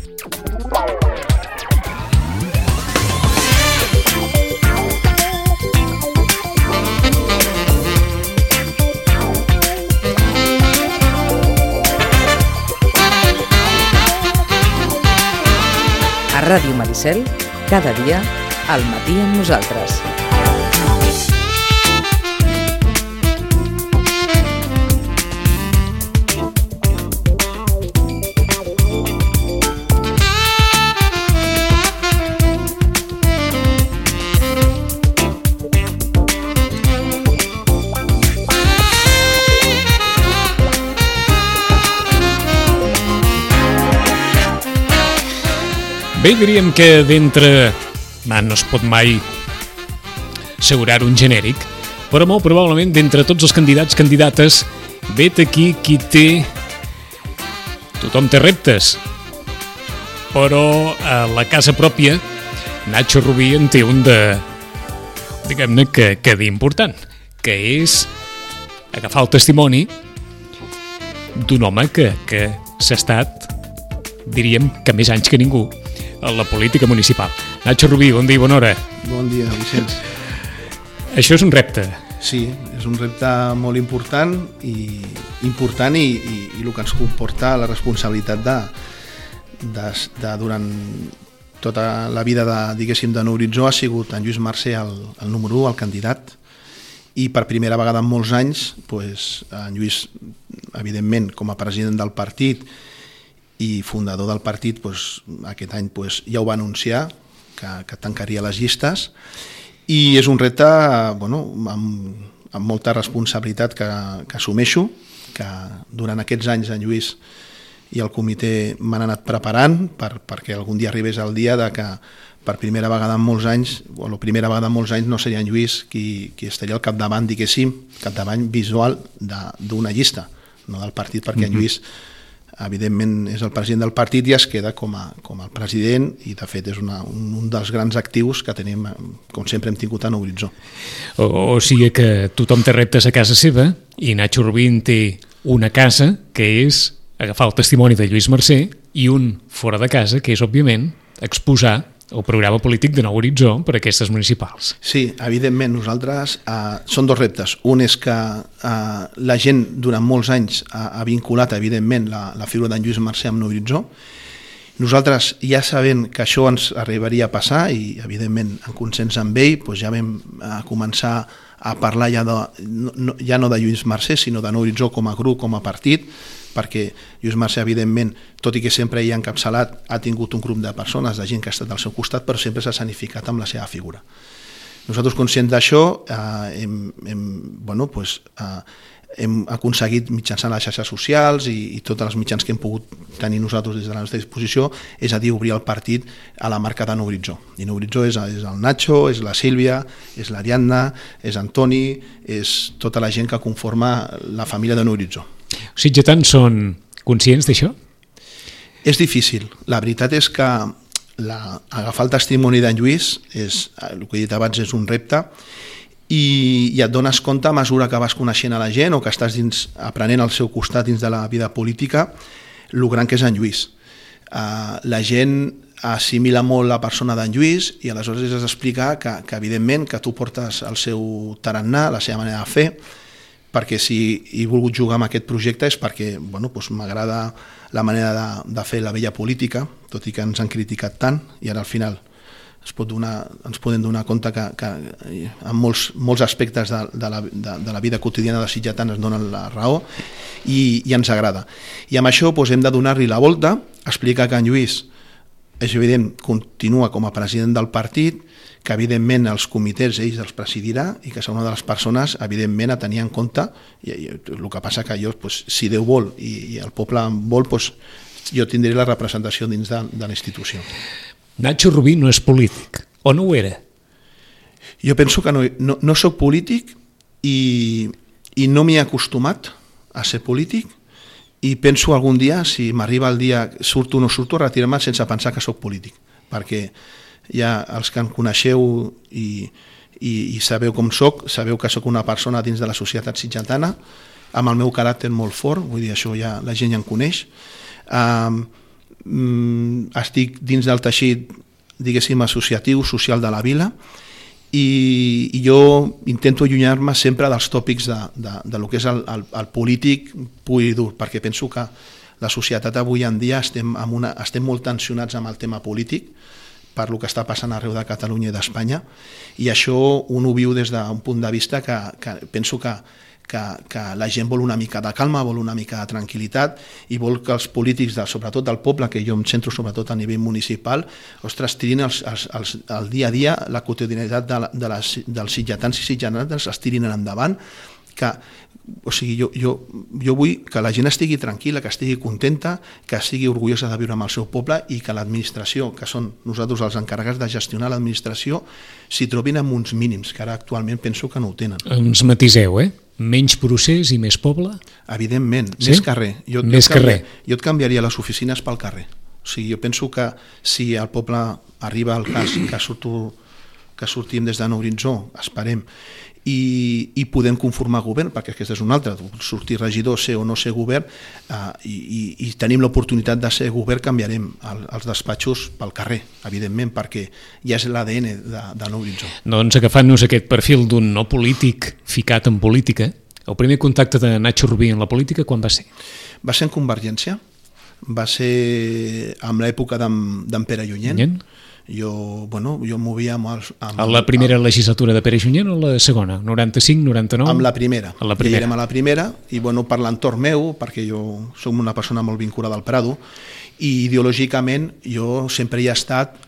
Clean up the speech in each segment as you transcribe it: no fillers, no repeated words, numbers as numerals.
A Ràdio Maricel, cada dia, al matí amb nosaltres. Bé, diríem que d'entre... no es pot mai assegurar un genèric, però molt probablement d'entre tots els candidates, vet aquí qui té... Tothom té reptes, però a la casa pròpia, Nacho Rubí en té un de... diguem-ne que d'important, que és agafar el testimoni d'un home que s'ha estat, diríem que més anys que ningú, a la política municipal. Nacho Rubí, bon dia i bona hora. Bon dia, Vicenç. Això és un repte. Sí, és un repte molt important i el que ens comporta la responsabilitat de durant tota la vida de Nou Horitzó ha sigut en Lluís Mercè el número 1, el candidat, i per primera vegada en molts anys en Lluís, evidentment, com a president del partit i fundador del partit, aquest any ja ho va anunciar, que tancaria les llistes, i és un repte amb molta responsabilitat que assumeixo, que durant aquests anys en Lluís i el comitè m'han anat preparant perquè algun dia arribés el dia de que per primera vegada en molts anys, o la primera vegada en molts anys no seria en Lluís qui estaria al capdavant, diguéssim, capdavant visual d'una llista, no del partit, perquè en Lluís evidentment és el president del partit i es queda com el president, i de fet és un dels grans actius que tenim, com sempre hem tingut a Nou Horitzó. O sigui que tothom té reptes a casa seva i Nacho Rubí té una casa que és agafar el testimoni de Lluís Mercè i un fora de casa que és, òbviament, exposar el programa polític de Nou Horitzó per a aquestes municipals. Sí, evidentment, nosaltres són dos reptes. Un és que la gent durant molts anys ha vinculat, evidentment, la figura d'en Lluís Mercè amb Nou Horitzó. Nosaltres, ja sabent que això ens arribaria a passar, i evidentment en consens amb ell, ja vam començar a parlar ja no de Lluís Mercè, sinó de Nou Horitzó com a grup, com a partit, perquè Lluís Mercè, evidentment, tot i que sempre hi ha encapçalat, ha tingut un grup de persones, de gent que ha estat al seu costat, però sempre s'ha sanificat amb la seva figura. Nosaltres, conscients d'això, hem aconseguit mitjançant les xarxes socials i tots els mitjans que hem pogut tenir nosaltres des de la nostra disposició, és a dir, obrir el partit a la marca de Nou Horitzó. I Nou Horitzó és el Nacho, és la Sílvia, és l'Ariadna, és Antoni, és tota la gent que conforma la família de Nou Horitzó. Els sitgetans són conscients d'això? És difícil. La veritat és que agafar el testimoni d'en Lluís, el que he dit abans, és un repte, i et dones compte a mesura que vas coneixent a la gent o que estàs aprenent al seu costat dins de la vida política el gran que és en Lluís. La gent assimila molt la persona d'en Lluís i aleshores has d'explicar que evidentment que tu portes el seu tarannà, la seva manera de fer, perquè si he volgut jugar amb aquest projecte és perquè m'agrada la manera de fer la vella política, tot i que ens han criticat tant, i ara al final ens podem donar compte que en molts aspectes de la vida quotidiana de sitgetans ens donen la raó i ens agrada. I amb això hem de donar-li la volta, explicar que en Lluís, és evident, continua com a president del partit, que evidentment els comitès ells els presidirà i que serà una de les persones evidentment a tenir en compte, i el que passa que jo, si Déu vol i el poble vol, jo tindré la representació dins de la institució. Nacho Rubí no és polític, o no ho era? Jo penso que no soc polític i no m'hi he acostumat a ser polític, i penso algun dia, si m'arriba el dia, surto o no surto, a retirar-me sense pensar que soc polític, perquè ja els que em coneixeu i sabeu com soc, sabeu que soc una persona dins de la societat sitgetana, amb el meu caràcter molt fort, vull dir, això ja la gent ja em coneix. estic dins del teixit, diguéssim, associatiu, social de la vila, i jo intento allunyar-me sempre dels tòpics de lo que és el polític pur i dur, perquè penso que la societat avui en dia estem molt tensionats amb el tema polític per lo que està passant arreu de Catalunya i d'Espanya, i això un ho viu des d'un punt de vista que penso que la gent vol una mica de calma, vol una mica de tranquil·litat, i vol que els polítics, sobretot del poble, que jo em centro sobretot a nivell municipal, ostres, tirin el dia a dia, la quotidianitat dels sitgetans i sitgetanes es tirin endavant, o sigui, jo vull que la gent estigui tranquil·la, que estigui contenta, que estigui orgullosa de viure amb el seu poble, i que l'administració, que són nosaltres els encarregats de gestionar l'administració, s'hi trobin amb uns mínims, que ara actualment penso que no ho tenen. Ens matiseu, menys procés i més poble? Evidentment, sí? Més carrer. Jo et canviaria les oficines pel carrer. O sigui, jo penso que si el poble arriba al cas que sortim des de Nou Horitzó, esperem, i podem conformar govern, perquè aquest és un altre, sortir regidor, ser o no ser govern, i tenim l'oportunitat de ser govern, canviarem els despatxos pel carrer, evidentment, perquè ja és l'ADN de Nou Horitzó. Doncs agafant-nos aquest perfil d'un no polític ficat en política, el primer contacte de Nacho Rubí en la política quan va ser? Va ser en Convergència, va ser en l'època d'en Pere Junyent. Jo movia amb la primera legislatura de Pere Junyent o la segona? 95, 99? Amb la primera. Ja érem a la primera, i per l'entorn meu, perquè jo som una persona molt vinculada al Prado, i ideològicament jo sempre hi he estat,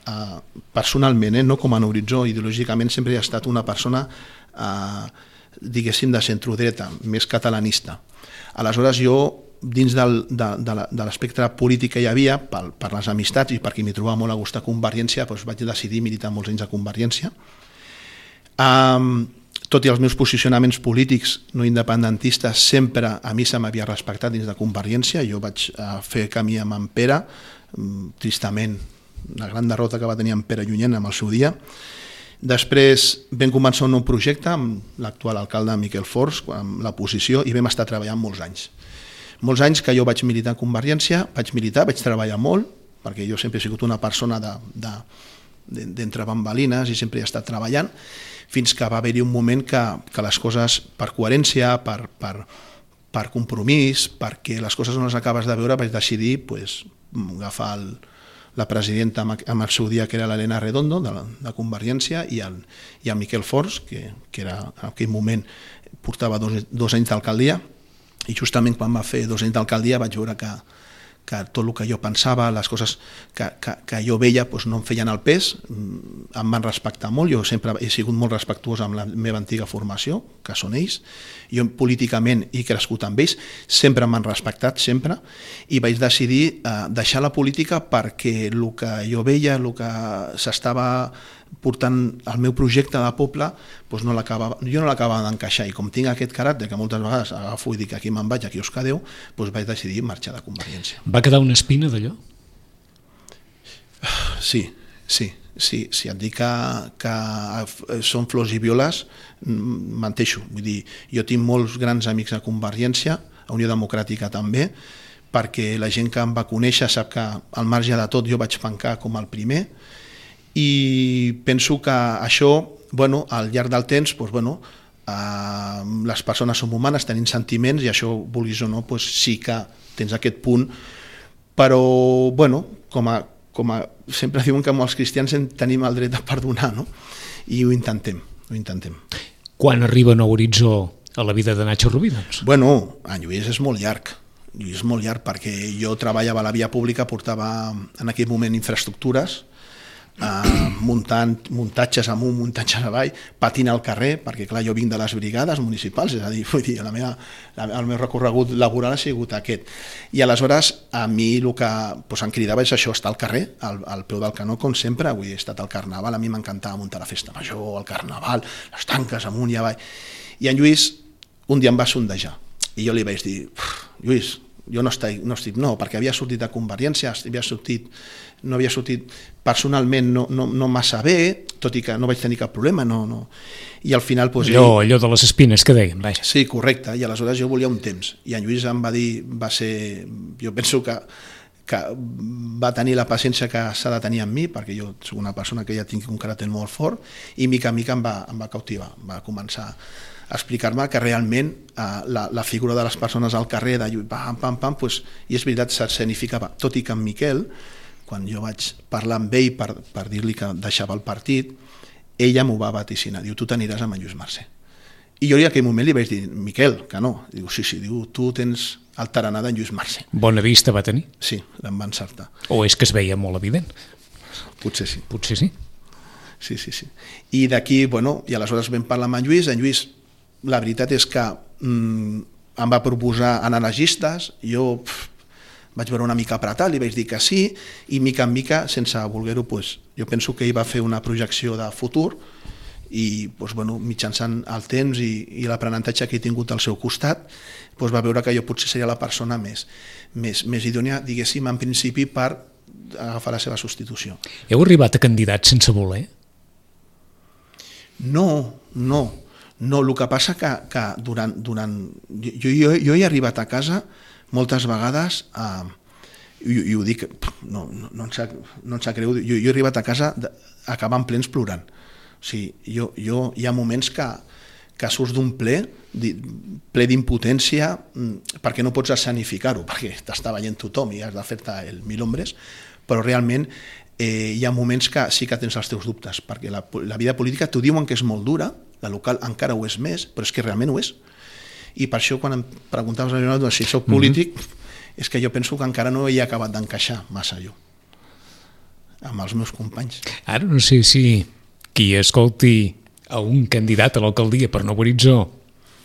personalment, no com a Nou Horitzó, ideològicament sempre hi he estat una persona, diguéssim, de centrodreta, més catalanista. Aleshores jo, dins de l'espectre polític que hi havia, per les amistats i perquè m'hi trobava molt a gust a Convergència, vaig decidir militar molts anys a Convergència. Tot i els meus posicionaments polítics no independentistes, sempre a mi se m'havia respectat dins de Convergència. Jo vaig fer camí amb en Pere, tristament, una gran derrota que va tenir en Pere Junyent en el seu dia. Després vam començar un nou projecte amb l'actual alcalde Miquel Fors, amb l'oposició, i vam estar treballant molts anys. Molts anys que jo vaig militar a Convergència, vaig treballar molt, perquè jo sempre he sigut una persona d'entre bambalines i sempre he estat treballant, fins que va haver-hi un moment que les coses, per coherència, per compromís, perquè les coses no les acabes de veure, vaig decidir agafar la presidenta en el seu dia, que era l'Helena Redondo, de Convergència, i el Miquel Fors, que era en aquell moment portava 2 anys d'alcaldia, i justament quan va fer 2 anys d'alcaldia vaig veure que tot el que jo pensava, les coses que jo veia no em feien el pes, em van respectar molt. Jo sempre he sigut molt respectuós amb la meva antiga formació, que són ells. Jo políticament he crescut amb ells, sempre m'han respectat, sempre, i vaig decidir deixar la política perquè el que jo veia, el que s'estava portant el meu projecte de poble, jo no l'acabava d'encaixar, i com tinc aquest caràcter que moltes vegades agafo i dic aquí me'n vaig, aquí us quedeu, vaig decidir marxar de Convergència. Va quedar una espina d'allò? Sí, et dic que són flors i violes, menteixo. Vull dir, jo tinc molts grans amics a Convergència, a Unió Democràtica també, perquè la gent que em va conèixer sap que al marge de tot jo vaig pencar com el primer, i penso que això, al llarg del temps, les persones som humanes, tenim sentiments, i això, vulguis o no, sí que tens aquest punt, però, sempre diuen que els cristians tenim el dret de perdonar, no? I ho intentem. Quan arriba Nou Horitzó a la vida de Nacho Rubí, doncs? En Lluís és molt llarg. Perquè jo treballava a la via pública, portava en aquell moment infraestructures, muntatges amunt, muntatges avall, patint al carrer, perquè clar, jo vinc de les brigades municipals, és a dir, el meu recorregut laboral ha sigut aquest. I aleshores a mi el que em cridava és això, estar al carrer, al peu del canó, com sempre. Avui he estat al Carnaval, a mi m'encantava muntar la festa major, el Carnaval, les tanques amunt i avall. I en Lluís un dia em va sondejar, i jo li vaig dir, Lluís, jo no estic, perquè havia sortit de Convergència, no havia sortit personalment no massa bé, tot i que no vaig tenir cap problema, i al final... Allò de les espines que deien, vaja. Sí, correcte, i aleshores jo volia un temps, i en Lluís em va dir, jo penso que que va tenir la paciència que s'ha de tenir amb mi, perquè jo soc una persona que ja tinc un caràcter molt fort, i mica en mica em va cautivar, va començar a explicar-me que realment la figura de les persones al carrer, de pam, pam, pam, pues, i és veritat, s'escenificava. Tot i que en Miquel, quan jo vaig parlar amb ell per dir-li que deixava el partit, ella m'ho va vaticinar, diu, tu t'aniràs amb en Lluís Mercè. I jo en aquell moment li vaig dir, Miquel, que no. Diu, sí, diu, tu tens el tarannà d'en Lluís Mercè. Bona vista va tenir? Sí, l'em va encertar. O és que es veia molt evident? Potser sí. Potser sí. Sí. I d'aquí, bueno, i aleshores vam parlar amb en Lluís, la veritat és que em va proposar anar a les llistes, jo vaig veure una mica apretat, li vaig dir que sí, i mica en mica, sense voler-ho, jo penso que ell va fer una projecció de futur, i mitjançant el temps i l'aprenentatge que he tingut al seu costat, va veure que jo potser seria la persona més idònia, diguéssim, en principi, per agafar la seva substitució. Heu arribat a candidats sense voler? No. El que passa que durant... Jo he arribat a casa moltes vegades i ho dic, no em sap greu, jo he arribat a casa acabant plens plorant. O sigui, hi ha moments que surts d'un ple d'impotència perquè no pots escenificar-ho, perquè t'està veient tothom i has de fer-te el mil hombres, però realment hi ha moments que sí que tens els teus dubtes, perquè la vida política t'ho diuen que és molt dura, la local encara ho és més, però és que realment ho és. I per això quan em preguntaves si soc polític, és que jo penso que encara no he acabat d'encaixar massa jo amb els meus companys. Ara no sé si qui escolti a un candidat a l'alcaldia per Nou Horitzó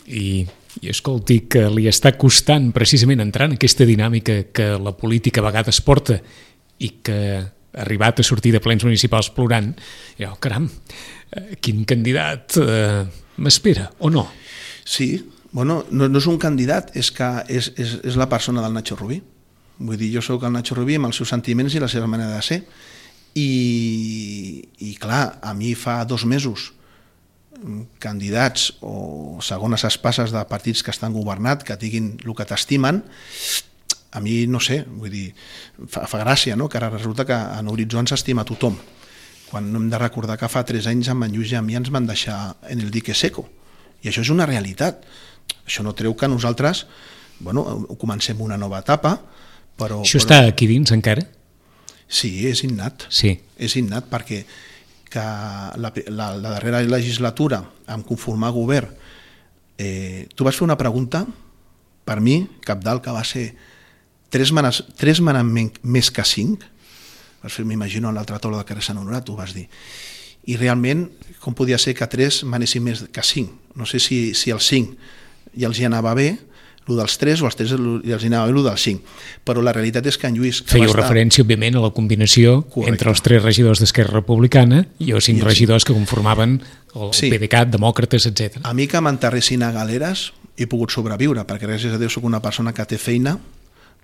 i escolti que li està costant precisament entrar en aquesta dinàmica que la política a vegades porta i que ha arribat a sortir de plens municipals plorant, caram, quin candidat m'espera, o no? Sí, bueno, no és un candidat, és que és la persona del Nacho Rubí. Vull dir, jo soc el Nacho Rubí amb els seus sentiments i la seva manera de ser. I clar, a mi fa 2 mesos candidats o segones espasses de partits que estan governat, que diguin el que t'estimen, a mi no sé, vull dir, fa gràcia, no? Que ara resulta que en Horitzó ens estima tothom, quan no hem de recordar que fa 3 anys amb en Lluís i a mi ens van deixar en el dique seco, i això és una realitat. Això no treu que nosaltres comencem una nova etapa, però... Això està aquí dins encara? Sí, és innat. Sí. És innat perquè que la darrera legislatura, en conformar govern, tu vas fer una pregunta, per mi, cabdal, que va ser 3 manament més que 5, m'imagino en l'altra taula de carrer Sant Honorat, ho vas dir, i realment, com podia ser que 3 manessin més que 5? No sé si el 5 ja els hi anava bé, el dels 3 o els 3 els anava bé el dels 5, però la realitat és que en Lluís... Fèieu referència, òbviament, a la combinació entre els 3 regidors d'Esquerra Republicana i els 5 regidors que conformaven el PDeCAT, demòcrates, etc. A mi que m'enterressin a galeres he pogut sobreviure, perquè gràcies a Déu soc una persona que té feina,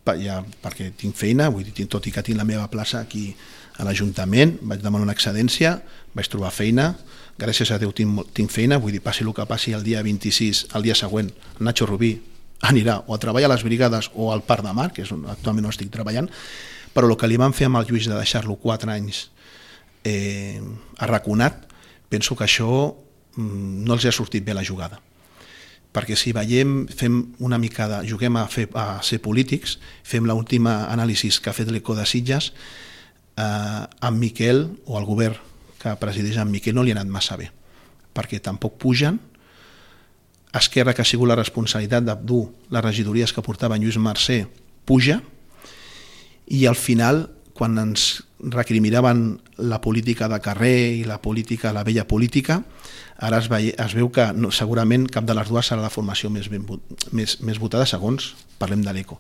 perquè tinc feina, vull dir, tot i que tinc la meva plaça aquí a l'Ajuntament, vaig demanar una excedència, vaig trobar feina, gràcies a Déu tinc feina, vull dir, passi el que passi el dia 26, el dia següent, Nacho Rubí anirà o a treballar a les brigades o al Parc de Mar, que és on actualment no estic treballant, però el que li van fer amb el Lluís de deixar-lo 4 anys arraconat, penso que això no els ha sortit bé la jugada. Perquè si veiem, fem una mica juguem a ser polítics, fem l'última anàlisi que ha fet l'Eco de Sitges, amb Miquel, o el govern que presideix en Miquel, no li ha anat massa bé, perquè tampoc pugen. Esquerra, que ha sigut la responsabilitat de dur les regidories que portava en Lluís Mercè, puja, i al final, quan ens recriminaven la política de carrer i la vella política, ara es veu que segurament cap de les dues serà la formació més votada, segons parlem de l'Eco.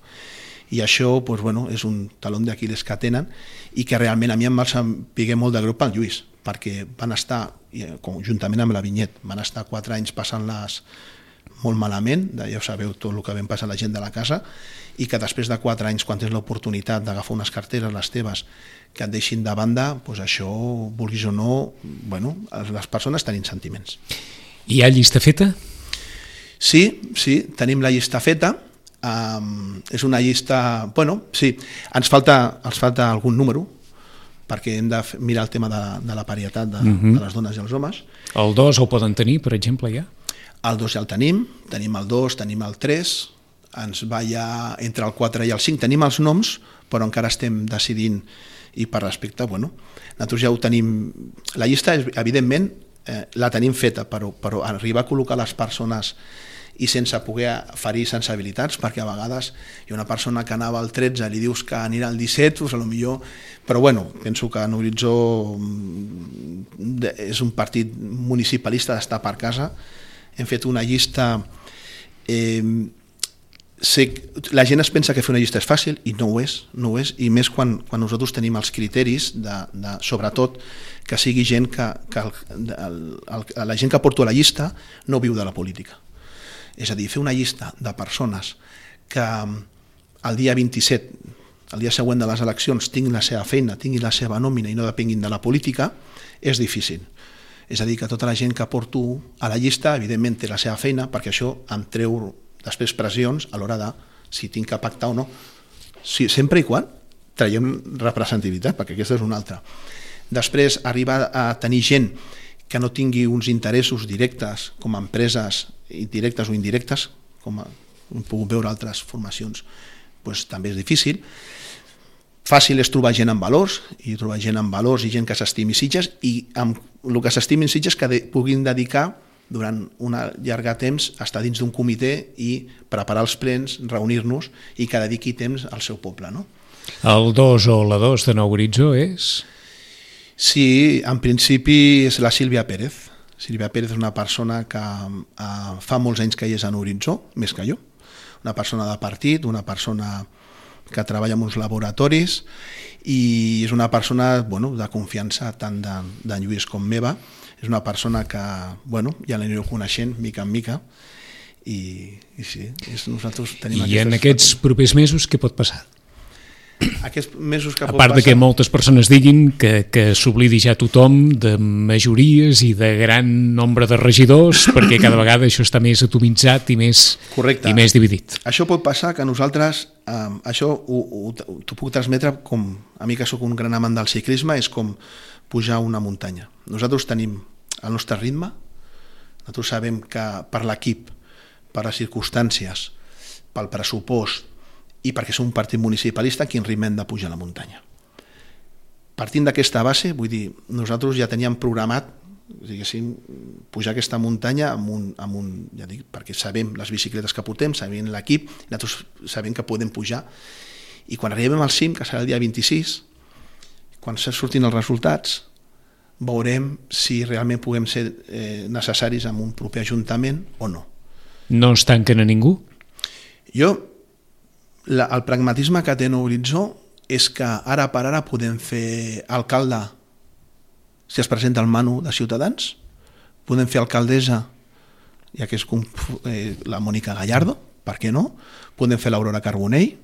I això és un taló d'Aquil·les que tenen i que realment a mi em va saber molt de greu pel Lluís, perquè van estar, juntament amb la Vinyet, van estar 4 anys passant-les molt malament, ja sabeu tot el que vam passar a la gent de la casa, i que després de 4 anys, quan tens l'oportunitat d'agafar unes carteres, les teves, que et deixin de banda, això, vulguis o no, les persones tenim sentiments. Hi ha llista feta? Sí, tenim la llista feta. És una llista... Bueno, sí, ens falta algun número, perquè hem de mirar el tema de la parietat de les dones i els homes. El 2 el poden tenir, per exemple, ja? El 2 ja el tenim el 2, tenim el 3, ens va ja entre el 4 i el 5, tenim els noms, però encara estem decidint, i per respecte, bueno, nosaltres ja ho tenim... La llista, evidentment, la tenim feta, però arribar a col·locar les persones i sense poder ferir sensibilitats, perquè a vegades hi ha una persona que anava al 13, li dius que anirà al 17, doncs potser... Però bueno, penso que en Horitzó és un partit municipalista d'estar per casa. Hem fet una llista... La gent es pensa que fer una llista és fàcil i no ho és, i més quan nosaltres tenim els criteris sobretot que sigui gent la gent que porto a la llista no viu de la política. És a dir, fer una llista de persones que el dia 27, el dia següent de les eleccions, tinguin la seva feina, tinguin la seva nòmina i no depenguin de la política, és difícil. És a dir, que tota la gent que porto a la llista, evidentment, té la seva feina, perquè això em treu després pressions a l'hora de si tinc que pactar o no. Sempre i quan traiem representativitat, perquè aquesta és una altra. Després, arribar a tenir gent que no tingui uns interessos directes com a empreses directes o indirectes, com hem pogut veure altres formacions, doncs també és difícil. Fàcil és trobar gent amb valors, i trobar gent amb valors i gent que s'estimi Sitges, i amb el que s'estimin Sitges que puguin dedicar durant un llarg temps a estar dins d'un comitè i preparar els plens, reunir-nos i que dediqui temps al seu poble. No? El 2 o la 2 de Nou Horitzó és? Sí, en principi és la Sílvia Pérez. Sílvia Pérez és una persona que fa molts anys que hi és en Horitzó, més que jo. Una persona de partit, una persona que treballa en uns laboratoris i és una persona de confiança tant d'en Lluís com meva. És una persona que ja l'anireu coneixent mica en mica i sí, nosaltres tenim I en aquests propers mesos què pot passar? Aquests mesos que a part de que moltes persones diguin que s'oblidi ja tothom de majories i de gran nombre de regidors perquè cada vegada això està més atomitzat i més dividit. Això pot passar que nosaltres, això t'ho puc transmetre com a mi que sóc un gran amant del ciclisme, és com pujar una muntanya. Nosaltres tenim el nostre ritme, nosaltres sabem que per l'equip, per les circumstàncies, pel pressupost i perquè som un partit municipalista, quin ritme hem de pujar a la muntanya. Partint d'aquesta base, vull dir, nosaltres ja teníem programat, diguéssim, pujar aquesta muntanya ja dic, perquè sabem les bicicletes que portem, sabem l'equip, nosaltres sabem que podem pujar, i quan arribem al cim, que serà el dia 26, quan surtin els resultats, veurem si realment puguem ser necessaris en un proper ajuntament o no. No es tanquen a ningú? El pragmatisme que té Nou Horitzó és que ara per ara podem fer alcalde si es presenta el Manu de Ciutadans, podem fer alcaldessa, ja que és la Mònica Gallardo, per què no? Podem fer l'Aurora Carbonell,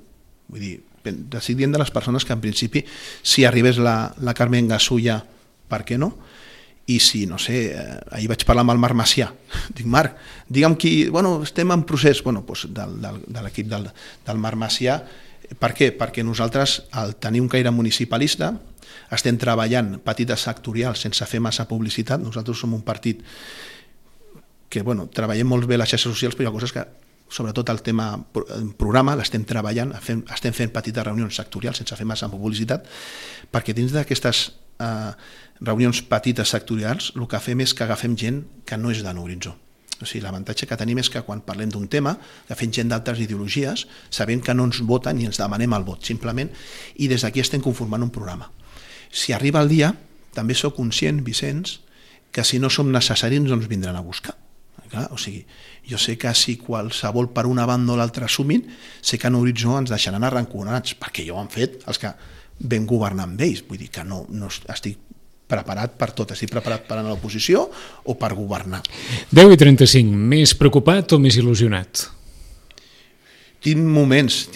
vull dir, decidint de les persones que en principi, si arribés la Carmen Gasulla, per què no? I si, no sé, ahir vaig parlar amb el Marc Macià, dic, Marc, digue'm qui, estem en procés, de l'equip del Marc Macià, per què? Perquè nosaltres, al tenir un caire municipalista, estem treballant petites sectorials sense fer massa publicitat. Nosaltres som un partit que, treballem molt bé les xarxes socials, però hi ha coses que, sobretot el tema programa, l'estem treballant, estem fent petites reunions sectorials sense fer massa publicitat, perquè dins d'aquestes reunions petites sectorials el que fem és que agafem gent que no és de Nou Horitzó. O sigui, l'avantatge que tenim és que quan parlem d'un tema agafem gent d'altres ideologies, sabent que no ens voten ni ens demanem el vot, simplement, i des d'aquí estem conformant un programa. Si arriba el dia, també sóc conscient, Vicenç, que si no som necessaris no ens vindran a buscar. O sigui, jo sé que si qualsevol per una banda o l'altra assumin, sé que a Nou Horitzó ens deixaran arranconats, perquè ja ho han fet els que vam governar amb ells. Vull dir que no estic preparat per tot, estic preparat per anar a l'oposició o per governar. 10:35, més preocupat o més il·lusionat? Tinc moments,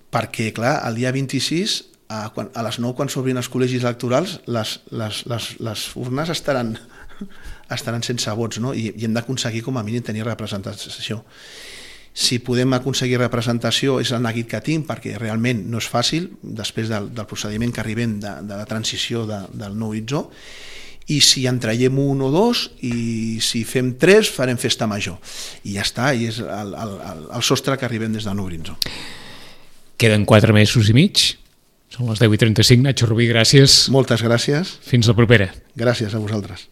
perquè clar, el dia 26, a les 9 quan s'obrin els col·legis electorals, les urnes estaran sense vots, no? I hem d'aconseguir com a mínim tenir representació. Si podem aconseguir representació és el neguit que tinc, perquè realment no és fàcil després del procediment que arribem de la transició del nou horitzó, i si en traiem un o dos, i si fem 3 farem festa major, i ja està, i és el sostre que arribem des del nou horitzó. Queden 4 mesos i mig, són les 10:35. Nacho Rubí, gràcies. Moltes gràcies. Fins la propera. Gràcies a vosaltres.